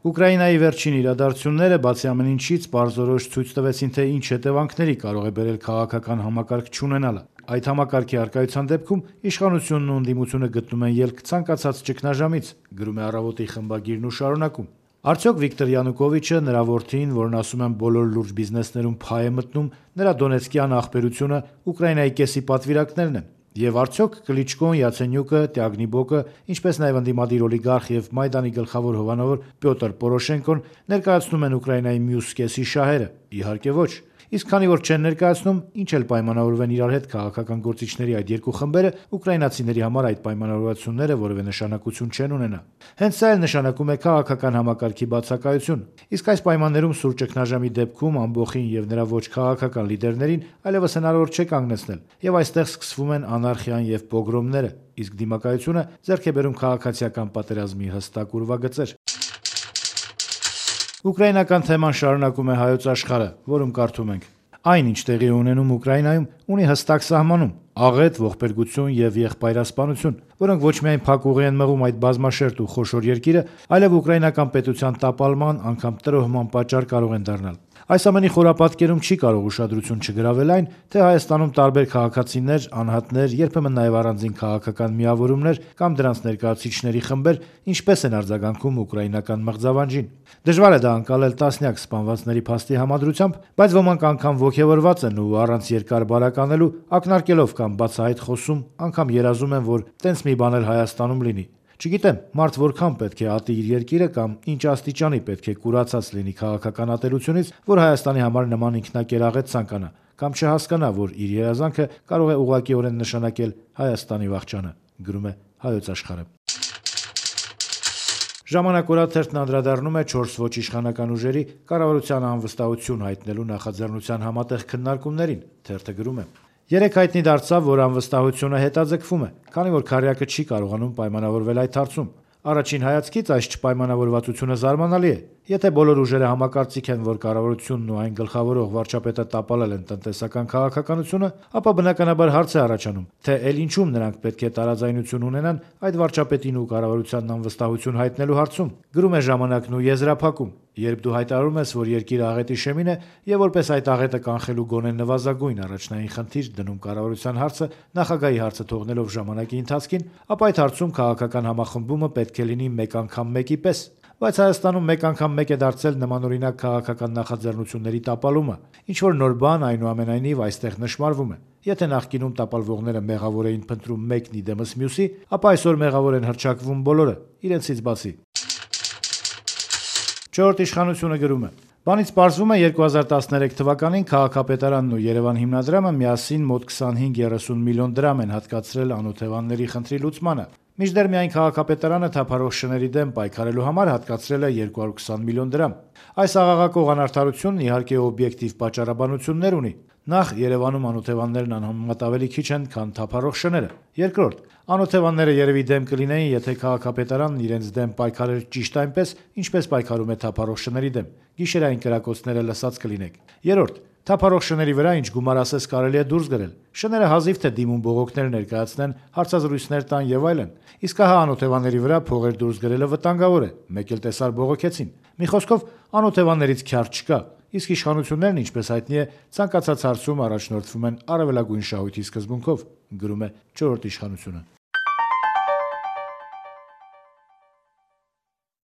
Ուկրաինայի վերջին իրադարձությունները բացի ամեն ինչից պարզորոշ ցույց տվեցին, թե ինչ հետևանքների կարող է բերել քաղաքական համակարգ չունենալը։ Այդ համակարգի առկայության դեպքում իշխանությունն ու ընդդիմությունը գտնում են ելք ցանկացած ճգնաժամից, գրում է «Առավոտ»-ի խմբագիրն ու շարունակում. Արդյոք Վիկտոր Յանուկովիչը, նրա որդին, որն ասում են բոլոր լուրջ բիզնեսներում փայ է մտնում, նրա դոնեցկյան ախպերությունը Ուկրաինայի կեսի պատվիրակներն են։ Եվ արդյոք Կլիչկոն, Յացենյուկը, Տյագնիբոկը, ինչպես նաև ընդդիմադիր օլիգարխ եւ Մայդանի գլխավոր հովանավոր Պյոտր Պորոշենկոն ներկայացնում են Ուկրաինայի մյուս կեսի շահերը։ Իհարկե ոչ։ Իսկ քանի որ չեն ներկայացնում, ինչ էլ պայմանավորվեն իրար հետ քաղաքական գործիչների այդ երկու խմբերը, ուկրաինացիների համար այդ պայմանավորվածությունները որևէ նշանակություն չեն ունենա։ Հենց սա էլ նշանակում է քաղաքական համակարգի բացակայություն։ Իսկ այս պայմաններում սուր ճգնաժամի դեպքում ամբոխին եւ նրա ոչ քաղաքական լիդերներին այլևս հնարավոր չէ կանգնեցնել, եւ այստեղ սկսվում են անարխիան եւ պոգրոմները, իսկ դիմակայությունը ձեռք է բերում քաղաքացիական պատերազմի հստակ ուրվագծեր։ Ուկրաինական թեման շարունակում է Հայոց Աշխարհը, որում կարդում ենք. Այն, ինչ տեղի է ունենում Ուկրաինայում, ունի հստակ սահմանում՝ աղետ, ողբերգություն եւ եղբայրասպանություն, որոնք ոչ միայն փակ ուղի են մղում այդ բազմաշերտ ու խոշոր երկիրը, այլև ուկրաինական պետության տապալման, անգամ տրոհման պատճառ կարող են դառնալ։ Այս ամենի խորապատկերում չի կարող ուշադրություն չգրավել այն, թե Հայաստանում տարբեր քաղաքացիներ, անհատներ, երբեմն նաև առանձին քաղաքական միավորումներ կամ դրանց ներկայացուցիչների խմբեր ինչպես են արձագանքում ուկրաինական մղձավանջին։ Դժվար է դա անցալել տասնյակ սպանվածների փաստի համադրությամբ, բայց ոմանք անգամ ոգևորված են ու առանց երկար բարականելու ակնարկելով կամ բացահայտ խոսում, անգամ երազում են, որ տենց մի բան էլ Հայաստանում լինի։ Չգիտեմ, մարդ որքան պետք է ատի իր երկիրը կամ ինչ աստիճանի պետք է կուրացած լինի քաղաքական ատելությունից, որ Հայաստանի համար նման ինքնակերաղետ ցանկանա, կամ չհասկանա, որ իր երազանքը կարող է ուղղակիորեն նշանակել Հայաստանի վախճանը, գրում է Հայոց Աշխարհը։ Ժամանակ օրաթերթն անդրադառնում է 4 ոչ իշխանական ուժերի կառավարության անվստահություն հայտնելու նախաձեռնության համատեղ քննարկումներին։ Թերթը գրում է. Երեկ հայտնի դարձավ, որ անվստահությունը հետաձգվում է, քանի որ քարյակը չի կարողանում պայմանավորվել այդ հարցում։ Առաջին հայացքից այս չպայմանավորվածությունը զարմանալի է։ Եթե բոլոր ուժերը համակարծիք են, որ կառավարությունն ու այն գլխավորող վարչապետը տապալել են տնտեսական քաղաքականությունը, ապա բնականաբար հարց է առաջանում, թե ել ինչում նրանք պետք է տարաձայնություն ունենան այդ վարչապետին ու կառավարությանն անվստահություն հայտնելու հարցում։ Գրում է Ժամանակն ու եզրափակում. Երբ դու հայտարարում ես, որ երկիրը աղետի շեմին է եւ որպես այդ աղետը կանխելու գոնե նվազագույն առաջնային խնդիր դնում կառավարության հարցը նախագահի հարցը թողնելով ժամանակի ընթացքին, ապա այդ հարցում քաղաքական համախմբումը պետք է լինի մեկ անգամ մեկի պես։ Բայց Հայաստանում մեկ անգամ մեկ է դարձել նմանօրինակ քաղաքական նախաձեռնությունների տապալումը։ Ինչ որ նոր բան, այնուամենայնիվ, այստեղ նշмарվում է։ Եթե նախկինում տապալվողները մեղավոր էին փնտրում մեկն ի դեմս մյուսի, ապա այսօր մեղավոր են հռչակվում բոլորը, իրենցից բացի։ Չորրորդ իշխանությունը գրում է. Բանից պարզվում է 2013 թվականին քաղաքապետարանն ու Երևան հիմնադրամը միասին մոտ 25-30 միլիոն դրամ են հատկացրել անօթևանների խնդրի լուծմանը։ Մինչդեռ միայն քաղաքապետարանը թափառող շների դեմ պայքարելու համար հատկացրել է 220 միլիոն դրամ։ Այս աղաղակող անարդարությունն իհարկե օբյեկտիվ պատճառաբանություններ ունի։ Նախ Երևանում անօթևաններն անհամեմատ ավելի քիչ են, քան թափառող շները։ Երկրորդ, անօթևանները երևի դեմ կլինեին, եթե քաղաքապետարանն իրենց դեմ պայքարեր ճիշտ այնպես, ինչպես պայքարում է թափառող շների դեմ։ Գիշերային կրակոցները լսած կլինեք։ Երրորդ, թափառող շների վրա ինչ գումար ասես կարելի է դուրս գրել։ Շները հազիվ թե դիմում բողոքներ ներկայացնեն, հարցազրույցներ տան եւ այլն։ Իսկ ահա անօթևանների վրա փողեր դուրս գրելը վտանգավոր է։ Մեկ էլ տեսար բողոքեցին։ Մի խոսքով, անօթևաններից քյար չկա։ Իսկ իշխանություններն, ինչպես հայտնի է, ցանկացած հարցում առաջնորդվում են առավելագույն շահույթի սկզբունքով, գրում է 4-րդ իշխանությունը։